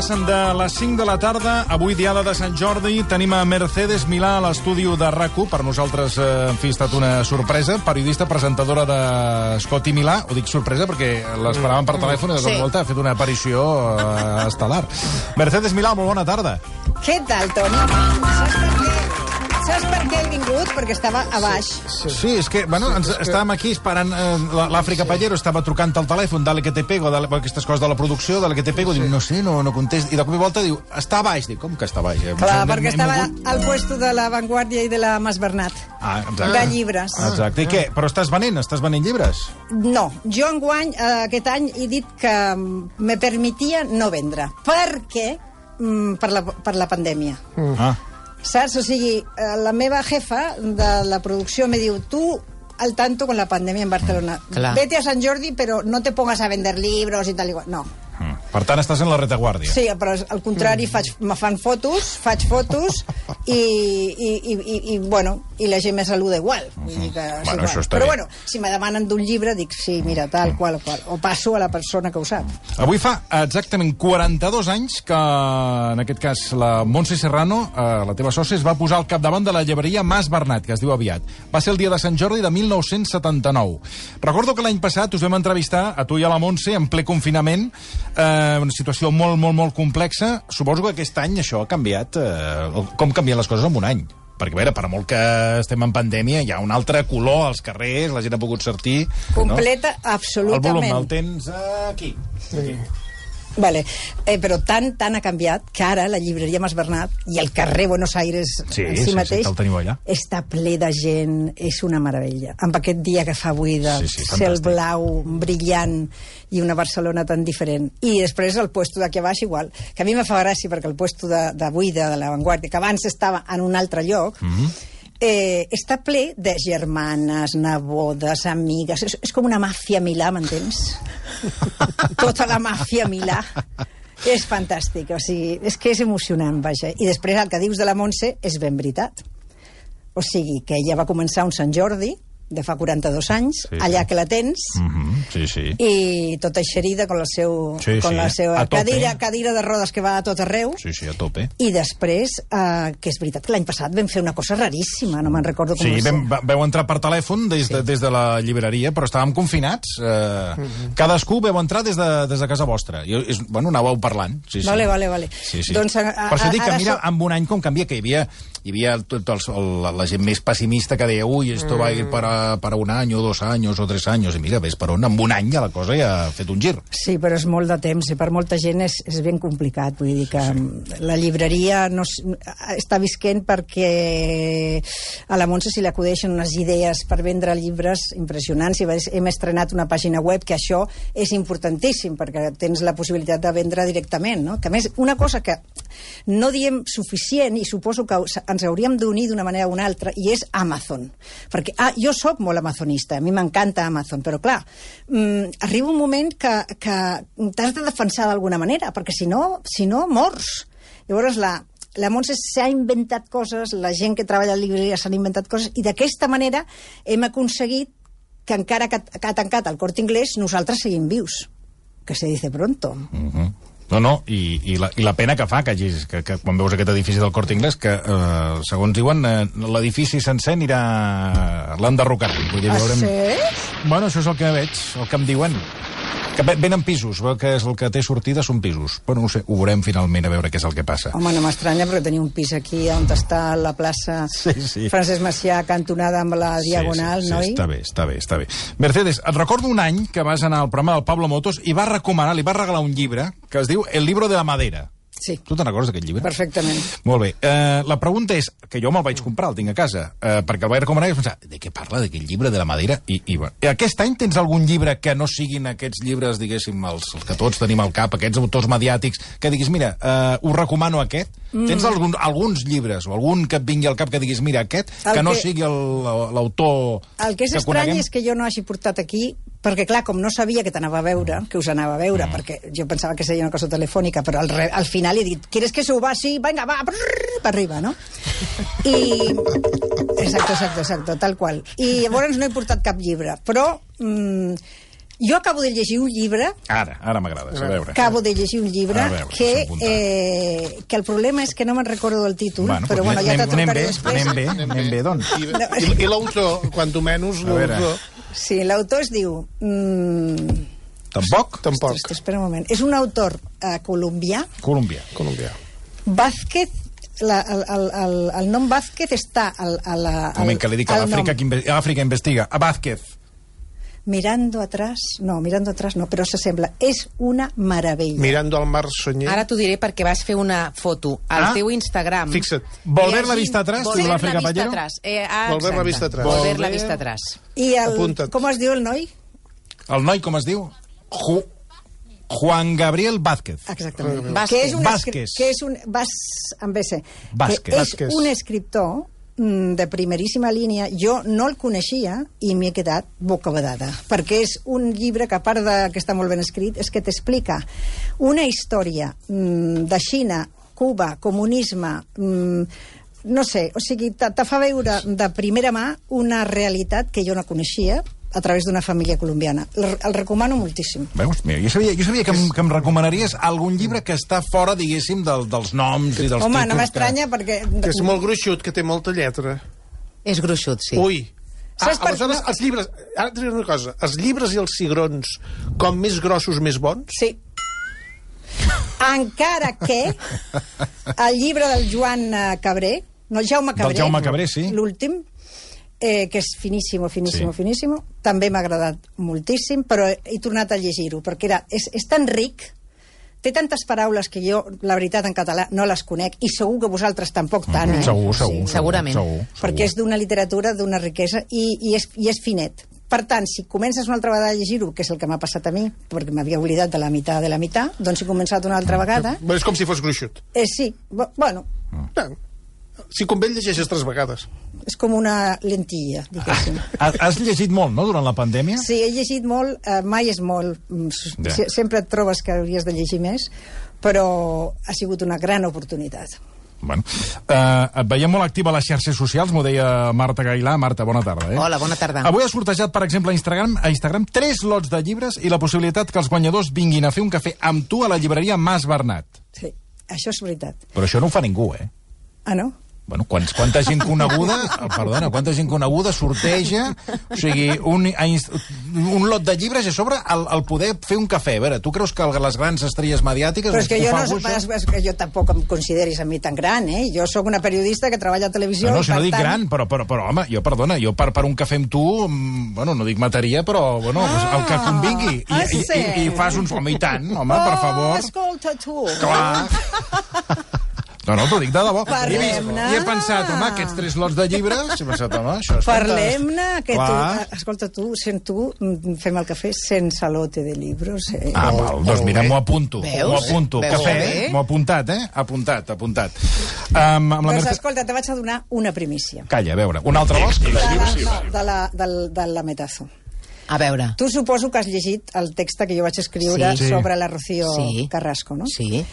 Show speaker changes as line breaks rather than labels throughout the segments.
Passen de les 5 de la tarda, avui diada de Sant Jordi, tenim a Mercedes Milà a l'estudi de RAC1, per nosaltres, en fi, ha estat una sorpresa, periodista, presentadora de Scotty Milà, ho dic sorpresa perquè l'esperàvem per telèfon i de cop i volta ha fet una aparició estel·lar. Mercedes Milà, molt bona tarda.
Què tal, Toni? Saps per què he vingut? Perquè estava a baix.
Sí, és que, bueno, estàvem aquí esperant l'Àfrica Pallero, estava trucant al telèfon, dale que te pego, aquestes coses de la producció, dale que te pego, diu, no sé, no contesta, i de cop i volta diu, està a baix, dic, com que està a baix?
Clar, perquè estava al puesto de La Vanguardia i de la Mas Bernat, de llibres.
Exacte, i què? Però estàs venent llibres?
No, jo enguany, aquest any, he dit que me permetia no vendre, perquè per la pandèmia. Saps? O sigui, la meva jefa de la producció me diu, tu al tanto con la pandèmia en Barcelona. Vete a Sant Jordi, però no te pongas a vender libros i tal igual. No.
Per tant, estàs en la retaguardia.
Sí, però al contrari, me fan fotos, faig fotos i bueno, i la gent me saluda igual. Vull dir que és igual.
Això està
però
bé.
bueno, si me demanen d'un llibre, dic, sí, mira, tal qual, o passo a la persona que ho sap.
Avui fa exactament 42 anys que, en aquest cas, la Montse Serrano, la teva sòcia, es va posar al capdavant de la llibreria Mas Bernat, que es diu aviat. Va ser el dia de Sant Jordi de 1979. Recordo que l'any passat us vam entrevistar, a tu i a la Montse, en ple confinament, una situació molt, molt, molt complexa. Suposo que aquest any això ha canviat. Com canvien les coses en un any? Perquè, a veure, per molt que estem en pandèmia, hi ha un altre color als carrers, la gent ha pogut sortir.
Completa, no? Absolutament.
El volum el tens aquí.
Vale. Però tant ha canviat que ara la llibreria Mas Bernat i el carrer Buenos Aires en si mateix està ple de gent, és una meravella. Amb aquest dia que fa avui de cel blau brillant i una Barcelona tan diferent. I després el puesto d'aquí a baix igual, que a mi me fa gràcia perquè el puesto d'avui de La Vanguardia, que abans estava en un altre lloc, està ple de germanes, nebodes, amigues. És com una màfia Milà, m'entens? Tota la màfia Milà. És fantàstic, o sigui, és que és emocionant, vaja. I després el que dius de la Montse és ben veritat. O sigui, que ella va començar un Sant Jordi de fa 42 anys, allà que la tens, i tota eixerida con la seva cadira de rodes que va a tot arreu.
Sí, a tope.
I després, que és veritat que l'any passat vam fer una cosa raríssima, no me'n recordo com va ser.
Sí, vau entrar per telèfon des de la llibreria, però estàvem confinats. Cadascú vau entrar des de casa vostra. Bueno, anàveu parlant.
Vale.
Doncs, per això dic que mira, en un any com canvia, que hi havia la gent més pessimista que deia, ui, esto va a ir para un any o 2 anys o 3 anys, i mira, ves per on, en un any ja la cosa ja ha fet un gir.
Sí, però és molt de temps, i per molta gent és ben complicat, vull dir que la llibreria està visquent perquè a la Montse se li acudeixen unes idees per vendre llibres impressionants, i hem estrenat una pàgina web, que això és importantíssim, perquè tens la possibilitat de vendre directament, no? Que a més, una cosa que no diem suficient, i suposo que ens hauríem d'unir d'una manera o una altra, i és Amazon. Perquè jo sóc molt amazonista, a mi m'encanta Amazon, però clar, arriba un moment que t'has de defensar d'alguna manera, perquè si no mors. Llavors la Montse s'ha inventat coses, la gent que treballa a la llibreria s'han inventat coses, i d'aquesta manera hem aconseguit que encara que ha tancat el Corte Inglés, nosaltres seguim vius, que se dice pronto.
No, i la pena que fa que quan veus aquest edifici del Corte Inglés, que segons diuen l'edifici sencer l'han derrocat.
Sí?
Bueno, això és el que veig, el que em diuen, que venen pisos, veu que és el que té sortida són pisos. Bueno, no sé, ho veurem finalment a veure què és el que passa.
Home, no m'estranya, perquè tenia un pis aquí on està la plaça Francesc Macià, cantonada amb la Diagonal, noi?
Està bé. Mercedes, et recordo un any que vas anar al programa del Pablo Motos i li vas regalar un llibre que es diu El libro de la madera.
Sí.
Tu te'n recordes d'aquest llibre?
Perfectament.
Molt bé. La pregunta és, que jo me'l vaig comprar, el tinc a casa, perquè el vaig recomanar i vaig pensar, de què parla, d'aquest llibre de la madera? I aquest any tens algun llibre que no siguin aquests llibres, diguéssim, els que tots tenim al cap, aquests autors mediàtics, que diguis, mira, us recomano aquest? Tens alguns llibres o algun que et vingui al cap que diguis, mira, aquest, que no sigui l'autor que coneguem?
El que és estrany és que jo no hagi portat aquí, perquè clar, com no sabia que t'anava a veure, que us anava a veure, perquè jo pensava que seria una cosa telefònica, però al final he dit, ¿quieres que suba? Sí, venga, va, per arriba, no? I... Exacto, tal qual. I llavors no he portat cap llibre, però Jo acabo de llegir un llibre...
Ara m'agrada, a veure.
Acabo de llegir un llibre que el problema és que no me'n recordo del títol, però bueno, ja te'l trucaré després.
Anem bé, doncs.
I l'autor, quan menys l'autor...
Sí, l'autor es diu...
Tampoc?
Tampoc.
Espera un moment. És un autor colombià.
Colombià.
Vázquez, el nom Vázquez està a la...
Un moment, que li dic a l'Àfrica Investiga. A Vázquez.
Mirando atrás no, però s'assembla. És una meravella.
Mirando al mar Sonyer.
Ara t'ho diré perquè vas fer una foto al teu Instagram.
Fixa't.
Volver la vista atrás, diu l'Àfrica Pallero.
Volver la vista atrás.
Volver la vista atrás.
I com es diu el noi?
El noi, com es diu? Juan Gabriel Vázquez.
Exactament.
Vázquez.
Que és un... amb BC. Que és un escriptor de primeríssima línia. Jo no el coneixia i m'he quedat bocabadada, perquè és un llibre que, a part de que està molt ben escrit, és que t'explica una història de Xina, Cuba, comunisme, no sé, o sigui, te fa veure de primera mà una realitat que jo no coneixia a través d'una família colombiana. El recomano moltíssim.
Veus? Mira, jo sabia que em recomanaries algun llibre que està fora, diguéssim, dels noms i dels títols.
Home, no m'estranya perquè...
Que és molt gruixut, que té molta lletra.
És gruixut, sí.
Ui. Aleshores, els llibres... Ara et diré una cosa. Els llibres i els cigrons, com més grossos, més bons?
Sí. Encara que el llibre del Joan Cabré, no, el Jaume Cabré.
Del Jaume Cabré, sí.
L'últim, que és finíssimo, també m'ha agradat moltíssim, però he tornat a llegir-ho, perquè és tan ric, té tantes paraules que jo, la veritat, en català no les conec, i segur que vosaltres tampoc tant.
Segur.
Segurament.
Perquè és d'una literatura, d'una riquesa, i és finet. Per tant, si comences una altra vegada a llegir-ho, que és el que m'ha passat a mi, perquè m'havia oblidat de la meitat, doncs he començat una altra vegada...
És com si fos gruixut.
Sí, bueno...
Si convé el llegeixes 3 vegades.
És com una lentilla, diguéssim.
Has llegit molt, no?, durant la pandèmia?
Sí, he llegit molt, mai és molt. Sempre et trobes que hauries de llegir més, però ha sigut una gran oportunitat.
Bueno, et veiem molt activa a les xarxes socials, m'ho deia Marta Gailà. Marta, bona tarda.
Hola, bona tarda.
Avui has sortejat, per exemple, a Instagram 3 lots de llibres i la possibilitat que els guanyadors vinguin a fer un cafè amb tu a la llibreria Mas Bernat.
Sí, això és veritat.
Però això no ho fa ningú, eh?
Ah, no?
Bueno, quanta gent coneguda sorteja, o sigui, un lot de llibres i a sobre el poder fer un cafè. A veure, tu creus que les grans estrelles mediàtiques...
Però és que jo tampoc em consideris a mi tan gran, eh? Jo sóc una periodista que treballa a televisió...
No, si no dic gran, però home, jo per un cafè amb tu, bueno, no dic mataria, però, bueno, el que convingui. I fas uns... Home, i tant, home, per favor.
Escolta, tu.
Clar. No, t'ho dic de debò.
Parlem-ne.
I he pensat, home, aquests 3 lots de llibres... He pensat, home, això és
Parlem-ne, que tu... Escolta, sent tu, fem el cafè sense lote de llibres.
Val, doncs mira, m'ho apunto.
Veus?
M'ho apunto. Cafè, m'ho he apuntat, eh? Apuntat.
Doncs escolta, te vaig a donar una primícia.
Calla, a veure, un altre vols?
De la Metazo.
A veure.
Tu suposo que has llegit el text que jo vaig escriure sobre la Rocío Carrasco, no?
Sí.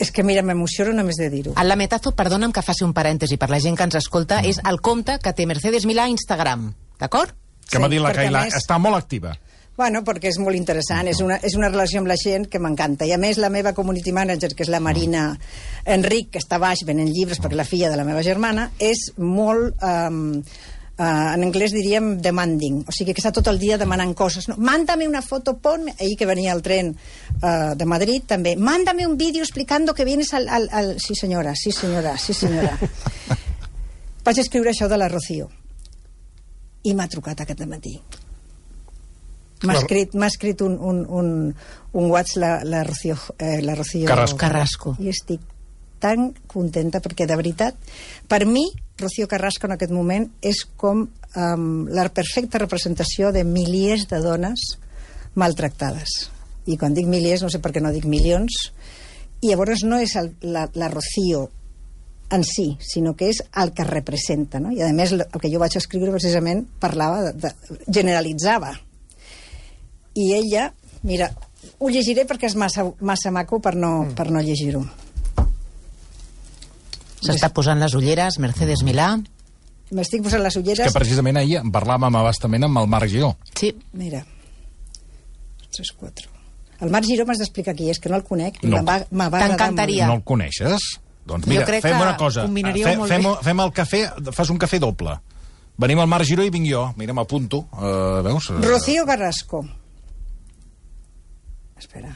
És que, mira, m'emociono només de dir-ho.
El Lametazo, perdona'm que faci un parèntesi per la gent que ens escolta, és el compte que té Mercedes Milà a Instagram, d'acord?
Que m'ha dit la Cailà, està molt activa.
Bueno, perquè és molt interessant, és una relació amb la gent que m'encanta. I a més, la meva community manager, que és la Marina Enric, que està baix venent llibres perquè la filla de la meva germana, és molt... en anglès diríem demanding, o sigui que està tot el dia demanant coses, no? Mándame una foto, ponme... Ahir que venia el tren de Madrid també, mándame un vídeo explicando que vienes al... Sí senyora. Vaig escriure això de la Rocío i m'ha trucat aquest matí. M'ha escrit un WhatsApp la Rocío
Carrasco.
I estic tan contenta perquè, de veritat, per mi, Rocío Carrasco en aquest moment és com la perfecta representació de milers de dones maltractades. I quan dic milers, no sé per què no dic milions. I llavors no és la Rocío en si, sinó que és el que representa, no? I a més el que jo vaig escriure precisament parlava, generalitzava. I ella, mira, ho llegiré perquè és massa maco per no llegir-ho.
S'està posant les ulleres, Mercedes Milà.
M'estic posant les ulleres...
Que precisament ahir en parlàvem abastament amb el Marc Giró.
Sí.
Mira. 3, 4... El Marc Giró m'has d'explicar qui és, que no el conec.
T'encantaria.
No el coneixes? Doncs mira, fem una cosa. Fem el cafè, fas un cafè doble. Venim al Marc Giró i vinc jo. Mira, m'apunto. Veus?
Rocío Carrasco. Espera.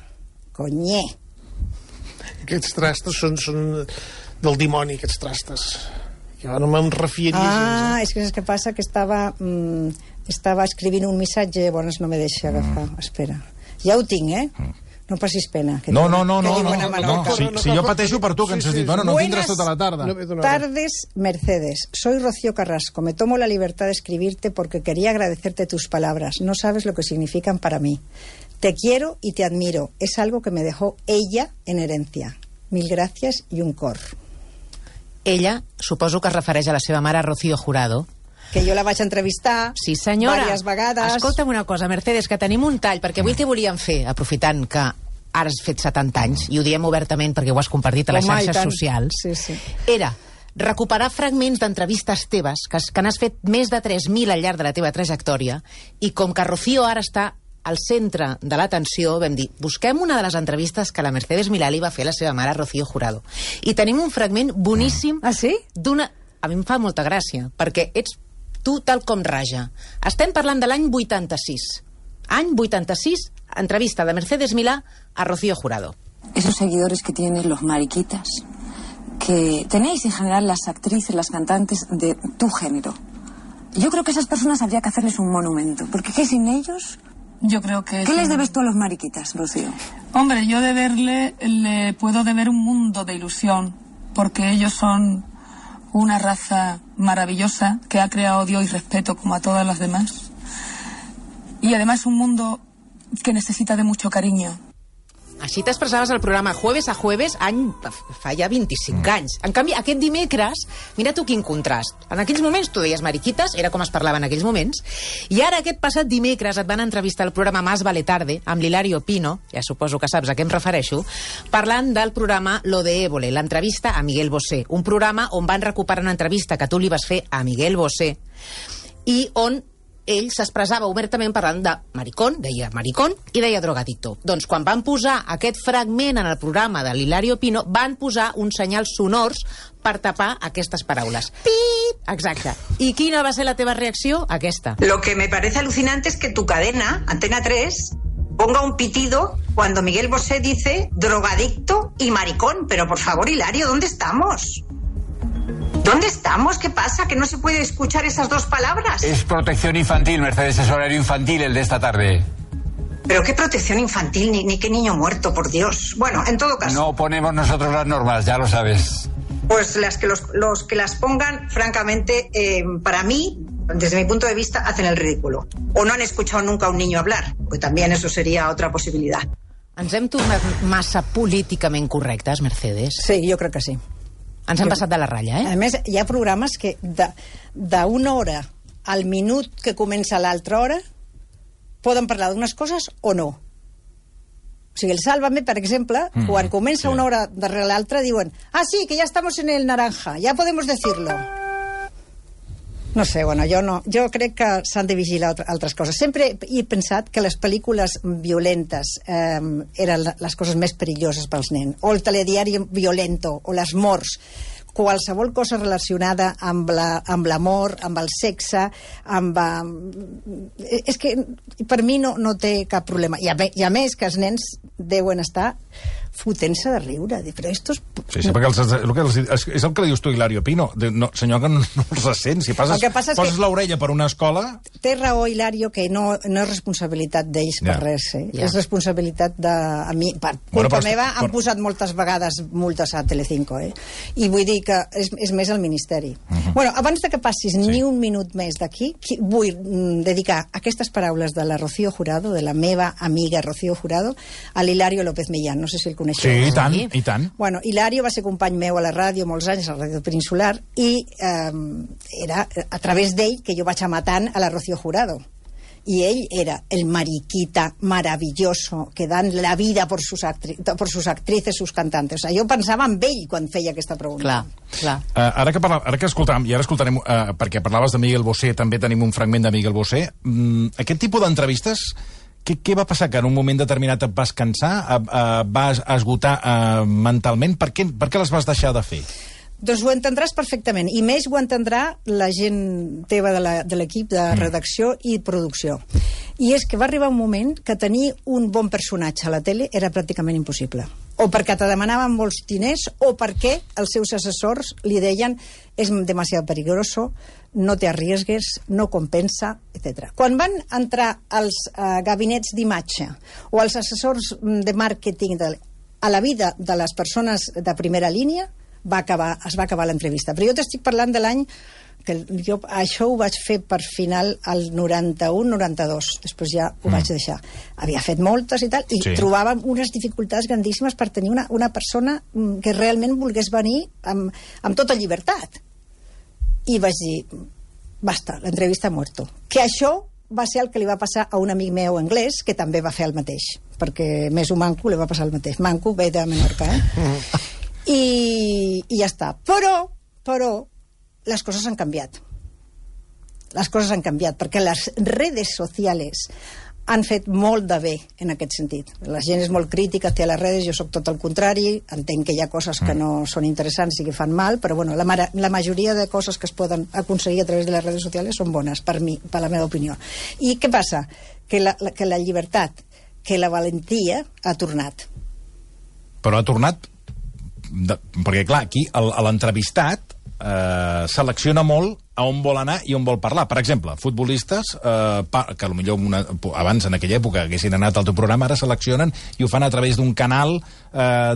Conyer.
Aquests trastos són del dimoni, aquests trastos. Jo no me'n refiaria gens.
És que saps què passa? Que estava escrivint un missatge, llavors no me deixa agafar. Espera. Ja ho tinc, No passis pena.
No. Si jo pateixo per tu, que ens has dit, bueno, no tindràs tota la tarda.
Tardes, Mercedes. Soy Rocío Carrasco. Me tomo la libertad de escribirte porque quería agradecerte tus palabras. No sabes lo que significan para mí. Te quiero y te admiro. Es algo que me dejó ella en herencia. Mil gràcies i un cor.
Ella, suposo que es refereix a la seva mare, Rocío Jurado,
que jo la vaig entrevistar diverses vegades.
Escolta'm una cosa, Mercedes, que tenim un tall, perquè avui el que volíem fer, aprofitant que ara has fet 70 anys, i ho diem obertament perquè ho has compartit a les xarxes socials, era recuperar fragments d'entrevistes teves, que n'has fet més de 3.000 al llarg de la teva trajectòria, i com que Rocío ara està al centre de l'atenció, vam dir, busquem una de les entrevistes que la Mercedes Milà li va fer a la seva mare, Rocío Jurado. I tenim un fragment boníssim d'una... A mi em fa molta gràcia, perquè ets tu tal com Raja. Estem parlant de l'any 86. Any 86, entrevista de Mercedes Milá a Rocío Jurado.
Esos seguidores que tienen los mariquitas, que tenéis en general las actrices, las cantantes de tu género. Yo creo que a esas personas habría que hacerles un monumento, porque ¿qué sin ellos?
Yo creo que...
¿Qué les debes tú a los mariquitas, Rocío?
Hombre, yo le puedo deber un mundo de ilusión, porque ellos son una raza maravillosa que ha creado Dios y respeto como a todas las demás. Y además un mundo que necesita de mucho cariño.
Així t'expressaves al programa Jueves a Jueves fa ja 25 anys. En canvi, aquest dimecres, mira tu quin contrast. En aquells moments tu deies mariquites, era com es parlava en aquells moments, i ara aquest passat dimecres et van entrevistar al programa Más vale tarde, amb l'Hilario Pino, ja suposo que saps a què em refereixo, parlant del programa Lo de Évole, l'entrevista a Miguel Bosé, un programa on van recuperar una entrevista que tu li vas fer a Miguel Bosé, i on ell s'expressava obertament parlant de maricón, deia maricón, i deia drogadicto. Doncs quan van posar aquest fragment en el programa de l'Hilario Pino, van posar uns senyals sonors per tapar aquestes paraules. Pip! Exacte. I quina va ser la teva reacció? Aquesta.
Lo que me parece alucinante es que tu cadena, Antena 3, ponga un pitido cuando Miguel Bosé dice drogadicto y maricón. Pero por favor, Hilario, ¿dónde estamos? ¿Dónde estamos? ¿Qué pasa? ¿Que no se puede escuchar esas dos palabras?
Es protección infantil, Mercedes, es horario infantil el de esta tarde.
¿Pero qué protección infantil? Ni qué niño muerto, por Dios. Bueno, en todo caso...
No ponemos nosotros las normas, ya lo sabes.
Pues los que las pongan, francamente, para mí, desde mi punto de vista, hacen el ridículo. O no han escuchado nunca a un niño hablar, pues también eso sería otra posibilidad.
Ens hem tornat massa políticament correctes, Mercedes?
Sí, jo crec que sí.
Ens hem passat de la ratlla,
A més, hi ha programes que d'una hora al minut que comença l'altra hora poden parlar d'unes coses o no. O sigui, el Sálvame, per exemple, quan comença una hora darrere l'altra, diuen sí, que ja estamos en el naranja, ja podemos decirlo. No sé, bueno, jo crec que s'han de vigilar altres coses. Sempre he pensat que les pel·lícules violentes eren les coses més perilloses pels nens. O el telediari violento, o les morts. Qualsevol cosa relacionada amb l'amor, amb el sexe, és que per mi no té cap problema. I a més que els nens deuen estar fotent-se de riure. Però estos...
Sí, perquè és el que li dius tu, Hilario Pino. No, senyor, que no els sent. Si poses l'orella per una escola...
Té raó, Hilario, que no és responsabilitat d'ells per res. És responsabilitat de... A mi, per culpa meva, han posat moltes vegades multes a Telecinco. I vull dir que és més el Ministeri. Bueno, abans de que passis ni un minut més d'aquí, vull dedicar aquestes paraules de la Rocío Jurado, de la meva amiga Rocío Jurado, a l'Hilario López Millán. No sé si el coneixeu.
Sí, i tant.
Bueno, Hilario va ser company meu a la ràdio molts anys, a la ràdio Peninsular, i era a través d'ell que jo vaig matant a la Rocío Jurado. Y él era el mariquita maravilloso que dan la vida por sus actrices, sus cantantes. O sea, jo pensava en ell quan feia aquesta pregunta.
Clar.
Ara que escoltàvem, i ara escoltarem, perquè parlaves de Miguel Bosé, també tenim un fragment de Miguel Bosé, aquest tipus d'entrevistes Què va passar? Que en un moment determinat et vas cansar? Vas esgotar mentalment? Per què les vas deixar de fer?
Doncs ho entendràs perfectament, i més ho entendrà la gent teva de l'equip de redacció i producció. I és que va arribar un moment que tenir un bon personatge a la tele era pràcticament impossible. O perquè te demanaven molts diners, o perquè els seus assessors li deien és demasiado peligroso, no te arriesgues, no compensa, etc. Quan van entrar els gabinets d'imatge o els assessors de màrqueting a la vida de les persones de primera línia, es va acabar l'entrevista. Però jo t'estic parlant de l'any que jo això ho vaig fer per final al 91-92, després ja ho vaig deixar. Havia fet moltes i tal, i trobàvem unes dificultats grandíssimes per tenir una persona que realment volgués venir amb tota llibertat. I vaig dir, basta, l'entrevista ha muerto. Que això va ser el que li va passar a un amic meu anglès, que també va fer el mateix, perquè més un manco li va passar el mateix. Manco ve de Menorca, I ja està. Però les coses han canviat. Les coses han canviat, perquè les redes socials han fet molt de bé en aquest sentit. La gent és molt crítica hacia les redes, jo sóc tot el contrari, entenc que hi ha coses que no són interessants i que fan mal, però bueno, la majoria de coses que es poden aconseguir a través de les redes socials són bones, per mi, per la meva opinió. I què passa? Que la llibertat, que la valentia ha tornat.
Però ha tornat perquè, clar, aquí l'entrevistat selecciona molt a on vol anar i on vol parlar. Per exemple, futbolistes que potser abans, en aquella època, haguessin anat al teu programa, ara seleccionen i ho fan a través d'un canal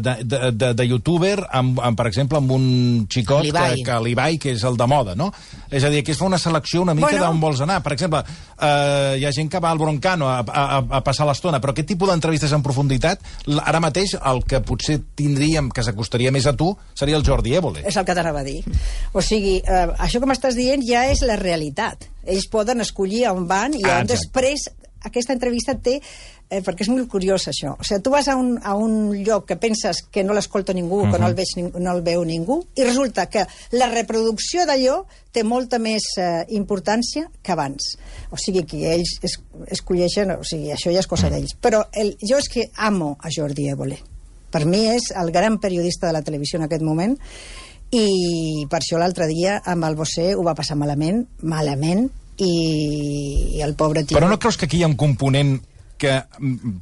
de youtuber, per exemple, amb un xicot que l'Ibai, que és el de moda, no? És a dir, que es fa una selecció una mica d'on vols anar. Per exemple, hi ha gent que va al Broncano a passar l'estona, però aquest tipus d'entrevistes en profunditat, ara mateix el que potser tindríem que s'acostaria més a tu seria el Jordi Évole.
És el que t'anava a dir. O sigui, això que m'estàs dient ja és la realitat. Ells poden escollir on van i on després aquesta entrevista té... perquè és molt curiós això. O sigui, tu vas a un lloc que penses que no l'escolta ningú, que no el veu ningú, i resulta que la reproducció d'allò té molta més importància que abans. O sigui, que ells escolleixen... O sigui, això ja és cosa d'ells. Però jo és que amo a Jordi Évole. Per mi és el gran periodista de la televisió en aquest moment, i per això l'altre dia amb el Bosé ho va passar malament, i el pobre tio...
Però no creus que aquí hi ha un component que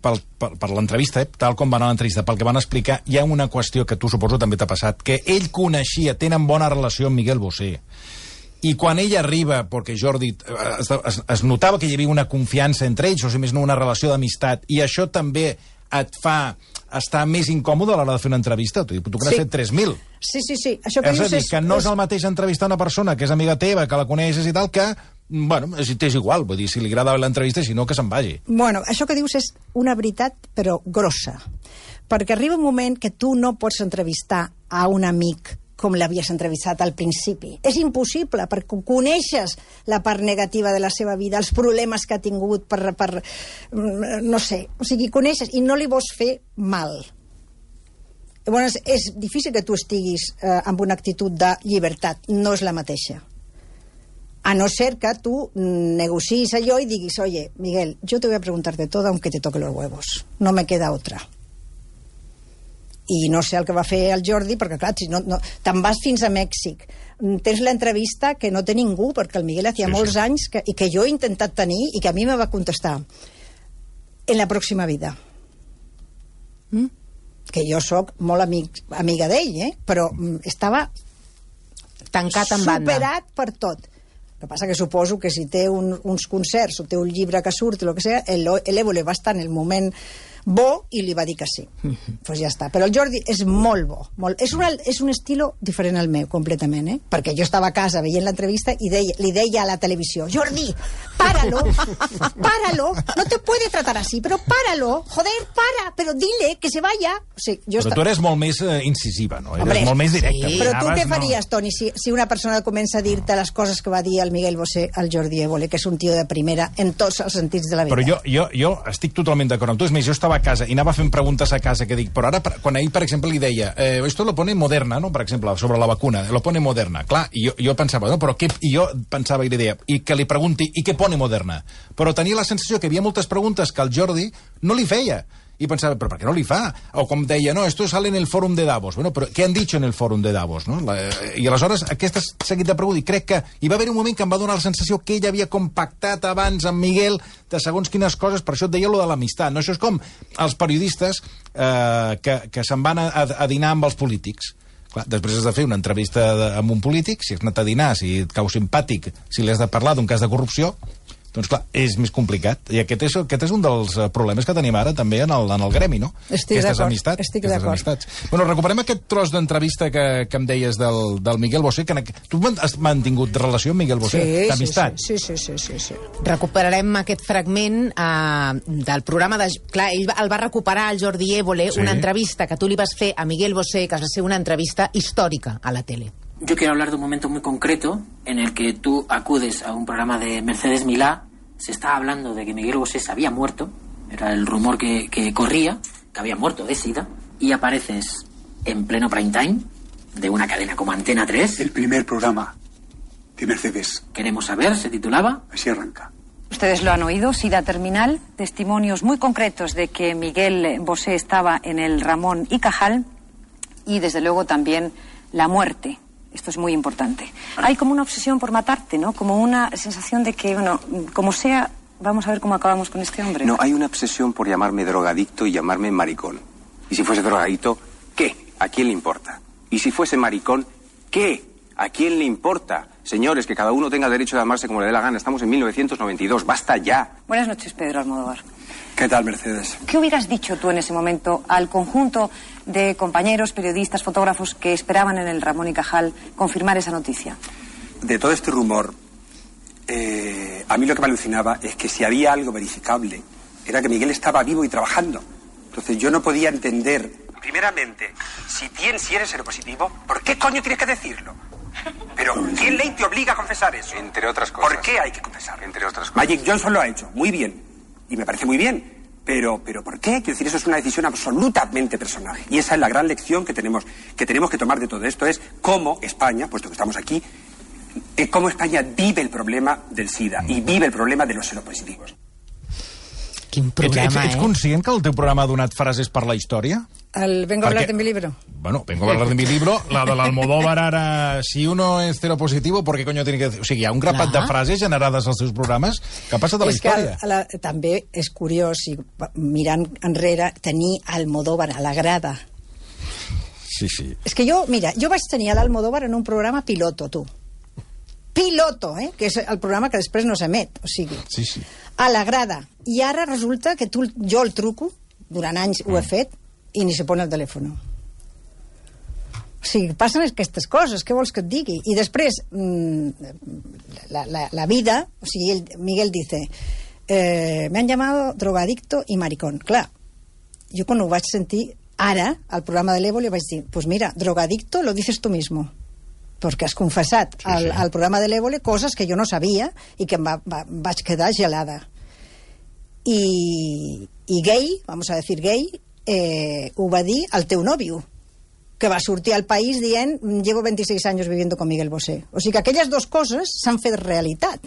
per l'entrevista, tal com va anar l'entrevista, pel que van explicar, hi ha una qüestió que tu suposo també t'ha passat, que ell coneixia, tenen bona relació amb Miguel Bosé, i quan ell arriba, perquè Jordi es notava que hi havia una confiança entre ells, o sigui, més no una relació d'amistat, i això també et fa estar més incòmode a l'hora de fer una entrevista. Tu que n'has fet 3.000.
Sí. Això que
és a dir, que no és el mateix entrevistar una persona que és amiga teva, que la coneixes i tal, que, bueno, t'és igual, vull dir, si li agrada l'entrevista, si no, que se'n vagi.
Bueno, això que dius és una veritat, però grossa. Perquè arriba un moment que tu no pots entrevistar a un amic com l'havies entrevistat al principi. És impossible, perquè coneixes la part negativa de la seva vida, els problemes que ha tingut no sé, o sigui, coneixes i no li vols fer mal. Llavors, és difícil que tu estiguis amb una actitud de llibertat, no és la mateixa. A no ser que tu negocis allò i diguis, oye, Miguel, yo te voy a preguntar de todo aunque te toque los huevos. No me queda otra. I no sé el que va fer el Jordi, perquè clar, si no, te'n vas fins a Mèxic, tens l'entrevista que no té ningú, perquè el Miguel hacía molts anys i que jo he intentat tenir i que a mi me va contestar en la pròxima vida. Que jo sóc molt amiga d'ell, però estava
tancat en banda,
superat per tot. El que passa que suposo que si té uns concerts o té un llibre que surt, el que sea, l'Évole va estar en el moment bo i li va dir que sí. Pues ja està. Però el Jordi és molt bo. És un estilo diferent al meu, completament, perquè jo estava a casa veient l'entrevista i li deia a la televisió, Jordi, páralo, no te puede tratar así, pero páralo, joder, para, pero dile que se vaya. O sigui,
però tu eres molt més incisiva, no? Eres molt més directa.
Sí. Però tu què faries, Toni, si una persona comença a dir-te les coses que va dir el Miguel Bosé al Jordi Évole, que és un tio de primera en tots els sentits de la vida?
Però jo estic totalment d'acord amb tu. És més, jo estava a casa i anava fent preguntes a casa, que dic, però ara, quan ell, per exemple, li deia, esto lo pone Moderna, no?, per exemple, sobre la vacuna, lo pone Moderna. Clar, i jo pensava, no, però què... I jo pensava i li deia, i que li pregunti, i què pone Moderna? Però tenia la sensació que hi havia moltes preguntes que el Jordi no li feia. I pensava, però per què no li fa? O com deia, no, esto sale en el fòrum de Davos. Bueno, però què han dit en el fòrum de Davos? No? I aleshores, aquesta seguit de preguntes, i crec que hi va haver un moment que em va donar la sensació que ell havia compactat abans amb Miguel de segons quines coses, per això et deia lo de l'amistat. No? Això és com els periodistes que se'n van a dinar amb els polítics. Clar, després has de fer una entrevista amb un polític, si has anat a dinar, si et cau simpàtic, si li has de parlar d'un cas de corrupció, doncs clar, és més complicat. I aquest és un dels problemes que tenim ara també en el gremi, no?
Estic d'acord, estic d'acord.
Bueno, recuperem aquest tros d'entrevista que em deies del Miguel Bosé. Tu has mantingut relació amb Miguel Bosé? D'amistat?
Sí.
Recuperarem aquest fragment del programa de... Clar, ell el va recuperar el Jordi Évole, una entrevista que tu li vas fer a Miguel Bosé, que va ser una entrevista històrica a la tele.
Yo quiero hablar de un momento muy concreto en el que tú acudes a un programa de Mercedes Milá. Se estaba hablando de que Miguel Bosé se había muerto, era el rumor que corría, que había muerto de SIDA, y apareces en pleno prime time de una cadena como Antena 3.
El primer programa de Mercedes.
Queremos saber, se titulaba.
Así arranca.
Ustedes lo han oído, SIDA terminal, testimonios muy concretos de que Miguel Bosé estaba en el Ramón y Cajal, y desde luego también la muerte. Esto es muy importante. Hay como una obsesión por matarte, ¿no? Como una sensación de que, bueno, como sea, vamos a ver cómo acabamos con este hombre.
No, hay una obsesión por llamarme drogadicto y llamarme maricón. Y si fuese drogadicto, ¿qué? ¿A quién le importa? Y si fuese maricón, ¿qué? ¿A quién le importa? Señores, que cada uno tenga derecho de amarse como le dé la gana. Estamos en 1992. ¡Basta ya!
Buenas noches, Pedro Almodóvar.
¿Qué tal, Mercedes?
¿Qué hubieras dicho tú en ese momento al conjunto de compañeros, periodistas, fotógrafos que esperaban en el Ramón y Cajal confirmar esa noticia?
De todo este rumor, a mí lo que me alucinaba es que si había algo verificable, era que Miguel estaba vivo y trabajando. Entonces yo no podía entender, primeramente, si eres seropositivo, ¿por qué coño tienes que decirlo? Pero ¿qué ley te obliga a confesar eso?
Entre otras cosas.
¿Por qué hay que confesarlo?
Entre otras cosas.
Magic Johnson lo ha hecho, muy bien. Y me parece muy bien. Pero ¿por qué? Quiero decir, eso es una decisión absolutamente personal. Y esa es la gran lección que tenemos que tomar de todo esto, es cómo España, puesto que estamos aquí, cómo España vive el problema del SIDA y vive el problema de los seropositivos.
Quin programa,
ets conscient que el teu programa ha donat frases per la història?
Vengo a hablar de mi libro.
Bueno, vengo a hablar de mi libro. La de l'Almodóvar ara, si uno es seropositivo, ¿por qué coño tiene que decir? O sigui, hi ha un grapat de frases generades als seus programes que ha passat a la història.
També és curiós, mirant enrere, tenir Almodóvar a la grada.
Sí.
És que jo vaig tenir a l'Almodóvar en un programa piloto, tu. Piloto, que és el programa que després no s'emet, o sigui, a la grada. I ara resulta que jo el truco, durant anys ho he fet, i ni se pone el telèfon. O sigui, passen aquestes coses, què vols que et digui? I després, la vida, o sigui, Miguel dice, me han llamado drogadicto y maricón. Clar, jo quan ho vaig sentir, ara, al programa de l'Évole, vaig dir, pues mira, drogadicto lo dices tú mismo. Perquè has confessat al programa de l'Évole coses que jo no sabia i que vaig quedar gelada. I gay, vamos a decir gay, ho va dir al teu nòvio, que va sortir al país dient llevo 26 años viviendo con Miguel Bosé. O sigui que aquelles dues coses s'han fet realitat.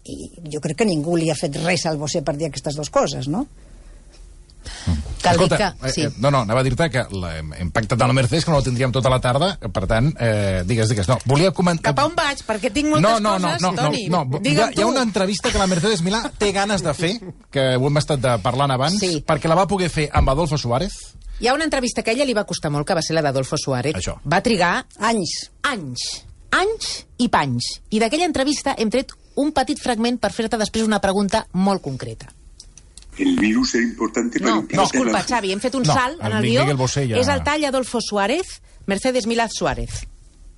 I jo crec que ningú li ha fet res al Bosé per dir aquestes dues coses, no?
Escolta, no, anava a dir-te que hem pactat amb la Mercedes que no la tindríem tota la tarda, per tant, digues. No, volia comentar...
Cap a on vaig? Perquè tinc moltes coses, Toni.
Hi ha una entrevista que la Mercedes Milá té ganes de fer, que ho hem estat parlant abans, perquè la va poder fer amb Adolfo Suárez.
Hi ha una entrevista que a ella li va costar molt, que va ser la d'Adolfo Suárez.
Això.
Va trigar...
Anys
i panys. I d'aquella entrevista hem tret un petit fragment per fer-te després una pregunta molt concreta.
El virus era importante para
disculpa, Xavi, hem fet un salt en el guió. Es el tall Adolfo Suárez, Mercedes Milá Suárez.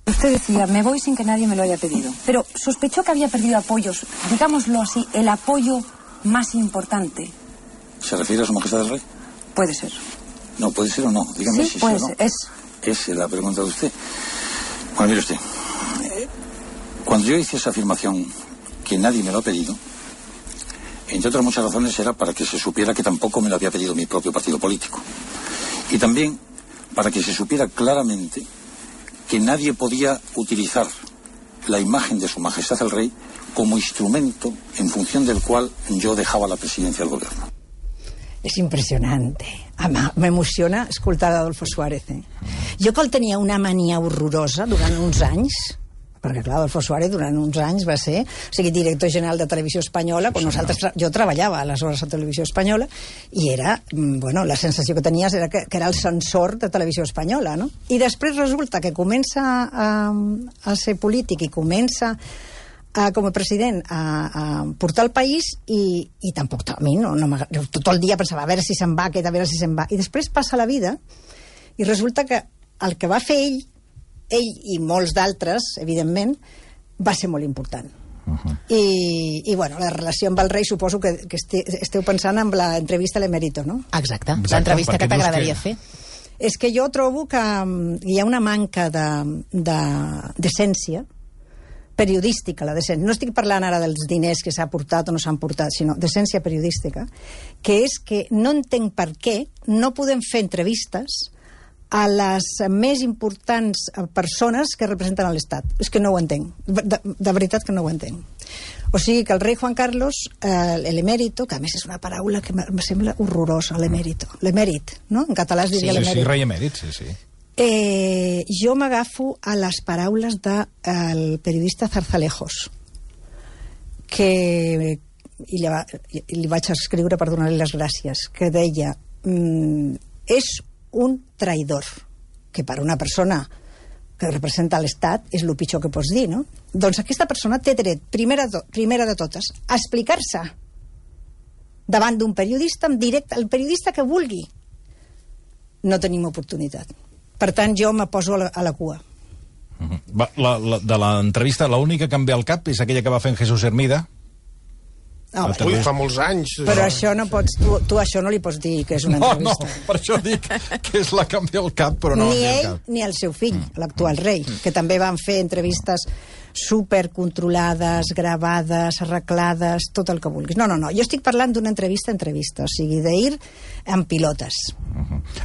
Usted decía, me voy sin que nadie me lo haya pedido. Pero sospechó que había perdido apoyos, digámoslo así, el apoyo más importante.
¿Se refiere a su majestad del rey?
Puede ser.
No, puede ser o no. Dígame si
puede
sí o
ser.
No. Es la pregunta de usted. Bueno, mire usted. Cuando yo hice esa afirmación que nadie me lo ha pedido, entre otras muchas razones, era para que se supiera que tampoco me lo había pedido mi propio partido político. Y también para que se supiera claramente que nadie podía utilizar la imagen de Su Majestad el Rey como instrumento en función del cual yo dejaba la presidencia del gobierno.
És impressionant. M'emociona escoltar Adolfo Suárez. Jo que el tenia una mania horrorosa durant uns anys, perquè clar, Adolfo Suárez durant uns anys va ser director general de Televisió Espanyola, quan jo treballava aleshores a Televisió Espanyola, i era, la sensació que tenies era que era el censor de Televisió Espanyola, no? I després resulta que comença a ser polític i comença com a president a portar el país i tampoc a mi tot el dia pensava a veure si se'n va aquest, a veure si se'n va, i després passa la vida i resulta que el que va fer ell i molts d'altres, evidentment, va ser molt important. I la relació amb el rei, suposo que esteu pensant en l'entrevista a l'Emèrito, no?
Exacte, l'entrevista que t'agradaria fer.
És que jo trobo que hi ha una manca d'essència periodística, la decència. No estic parlant ara dels diners que s'ha portat o no s'han portat, sinó d'essència periodística, que és que no entenc per què no podem fer entrevistes a les més importants persones que representen l'Estat. És que no ho entenc. De veritat que no ho entenc. O sigui que el rei Juan Carlos, l'emèrito, que a més és una paraula que em sembla horrorosa, l'emèrit, no? En català es diria l'emèrit.
Sí, rei emèrit, sí.
Jo m'agafo a les paraules del periodista Zarzalejos, que li vaig escriure per donar-li les gràcies, que deia és un traïdor, que per una persona que representa l'Estat és el pitjor que pots dir, no? Doncs aquesta persona té dret, primera de totes, a explicar-se davant d'un periodista en directe, el periodista que vulgui. No tenim oportunitat. Per tant, jo me poso a la cua.
De l'entrevista, l'única que em ve al cap és aquella que va fer en Jesús Hermida.
Ui, fa molts anys.
Però això no pots, tu això no li pots dir que és una entrevista.
No, per això dic que és la que em ve al cap, però no
ni ell ni el seu fill, l'actual rei, que també van fer entrevistes supercontrolades, gravades, arreglades, tot el que vulguis. No, jo estic parlant d'una entrevista, o sigui, d'ir en pilotes.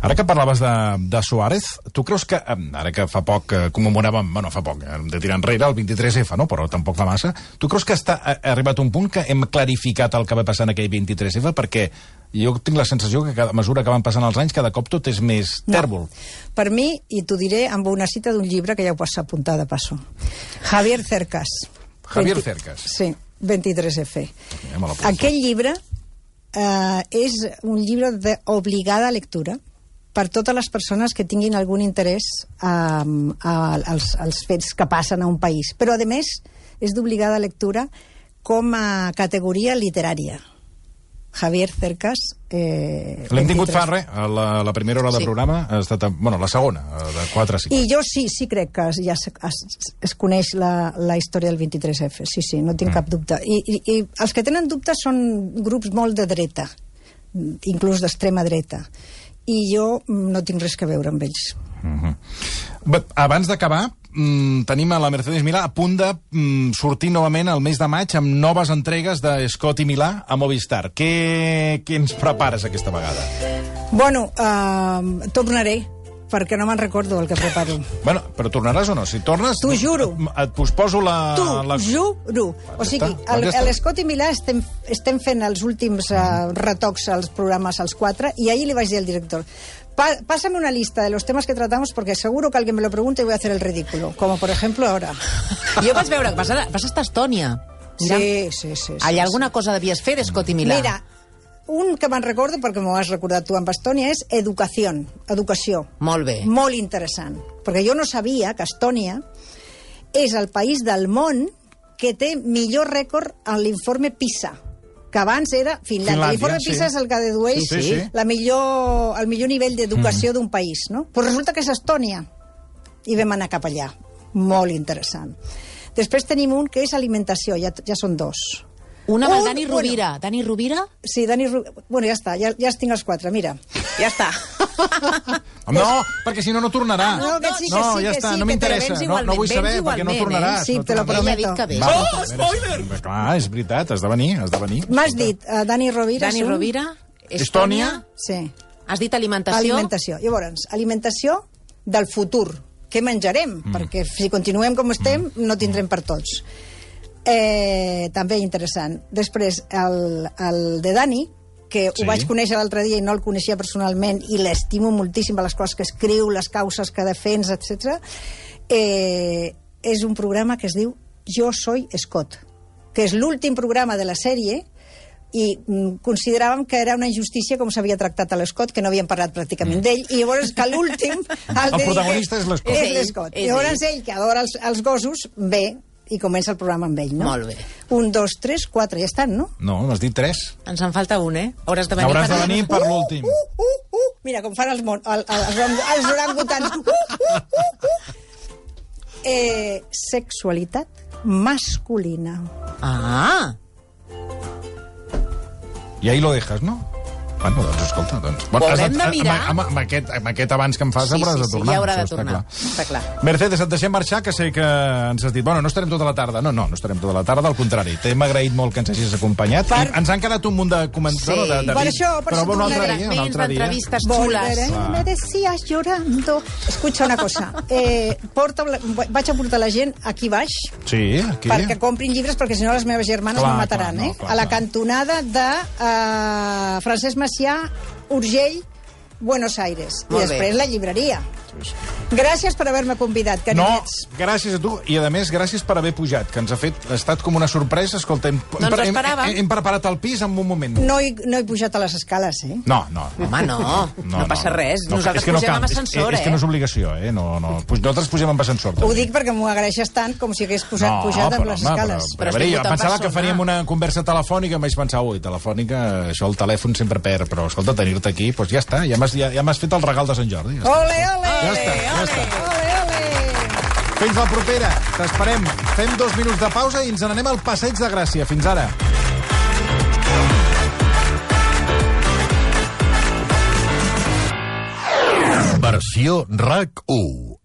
Ara que parlaves de Suárez, tu creus que, ara que fa poc commemoràvem, fa poc, de tirar enrere, el 23F, no? Però tampoc fa massa, tu creus que ha arribat un punt que hem clarificat el que va passar en aquell 23F? Perquè jo tinc la sensació que a mesura que van passant els anys, cada cop tot és més tèrbol.
Per mi, i t'ho diré amb una cita d'un llibre que ja ho pots apuntar de passo. Javier Cercas. Sí, 23F. Aquell llibre és un llibre d'obligada lectura per totes les persones que tinguin algun interès als fets que passen a un país. Però, a més, és d'obligada lectura com a categoria literària. Javier Cercas.
L'hem tingut fa res, a la primera hora del programa, ha estat, la segona, de 4 a 5.
I jo sí crec que ja es coneix la història del 23F, sí, no tinc cap dubte. I els que tenen dubtes són grups molt de dreta, inclús d'extrema dreta, i jo no tinc res a veure amb ells.
Abans d'acabar, tenim a la Mercedes Milà a punt de sortir novament el mes de maig amb noves entregues de Scott i Milà a Movistar. Què ens prepares aquesta vegada?
Tornaré, perquè no me'n recordo el que preparo.
Però tornaràs o no? Si tornes...
T'ho juro.
Et poso la...
T'ho juro. O sigui, l'Scott i Milà estem fent els últims retocs als programes, als 4, i ahir li vaig dir al director: pásame una lista de los temas que tratamos porque seguro que alguien me lo pregunta y voy a hacer el ridículo, como por ejemplo ahora.
Jo vaig veure que vas estar a Estònia.
Sí.
Allà alguna cosa devies fer d'Escott i Milà.
Mira, un que me'n recordo, perquè m'ho has recordat tu amb Estònia, és educació.
Molt bé.
Molt interessant. Perquè jo no sabia que Estònia és el país del món que té millor rècord en l'informe PISA, que abans era Finlàndia. L'informe PISA és el que dedueix el millor nivell d'educació d'un país, no? Però resulta que és Estònia. I vam anar cap allà. Molt interessant. Després tenim un que és alimentació, ja són 2.
Un amb el Dani Rovira. Dani Rovira?
Sí, Dani Rovira. Ja està, ja els tinc els 4, mira.
Ja està.
No, perquè si no, no tornarà.
No,
ja està, no m'interessa. No vull saber, perquè no tornaràs.
Sí, te lo prometo.
Oh, spoiler! Clar, és veritat, has de venir.
M'has dit Dani Rovira.
Dani Rovira,
Estònia.
Sí.
Has dit alimentació.
Alimentació. Llavors, alimentació del futur. Què menjarem? Perquè si continuem com estem, no tindrem per tots. També interessant. Després, el de Dani, que ho vaig conèixer l'altre dia i no el coneixia personalment i l'estimo moltíssim a les coses que escriu, les causes que defensa, etc. És un programa que es diu Jo soy Scott, que és l'últim programa de la sèrie i consideràvem que era una injustícia com s'havia tractat a l'Scott, que no havíem parlat pràcticament d'ell, i llavors que l'últim...
El protagonista és l'Scott.
És l'Scott. Llavors ell, que adora els gossos, ve i comença el programa amb ell, no?
Molt bé.
1, 2, 3, 4, ja estan, no?
No, n'has dit 3.
Ens en falta un, Hauràs de venir,
Hauràs de venir per l'últim.
Mira, com fan els orangutans. Sexualitat masculina.
Ah!
I ahí lo dejas, no? Bueno, doncs escolta,
ho haurem de mirar.
Amb aquest abans que em fas hauràs de tornar.
Sí, ja haurà de tornar, està clar.
Mercedes, et deixem marxar, que sé que ens has dit, bueno, no estarem tota la tarda. No estarem tota la tarda, al contrari. T'hem agraït molt que ens hagis acompanyat. I ens han quedat un munt de comentaris.
Sí, per això
però un altre dia.
D'entrevistes xules.
Me decías llorando. Escucha una cosa. Vaig a portar la gent aquí baix.
Sí, aquí.
Perquè comprin llibres, perquè si no les meves germanes me mataran, a la cantonada de Francesc Macià, Urgell, Buenos Aires. I després la llibreria. Gràcies per haver-me convidat, carinyets.
No, gràcies a tu. I, a més, gràcies per haver pujat, que ens ha estat com una sorpresa. Escolta, hem preparat el pis en un moment.
No he pujat a les escales,
No.
Home, no passa res. Nosaltres pugem amb ascensor,
És que no és obligació, Nosaltres pugem amb ascensor.
Ho dic perquè m'ho agraeixes tant com si hagués pujat amb les escales.
Però jo pensava que faríem una conversa telefònica, em vaig pensar, telefònica, això el telèfon sempre perd, però escolta, tenir-te aquí, doncs ja està, ja m'has fet el regal de Sant Jordi.
Ole, ole!
Ja està. Fins la propera. T'esperem. Fem 2 minuts de pausa i ens n'anem al Passeig de Gràcia. Fins ara.
Versió RAC 1.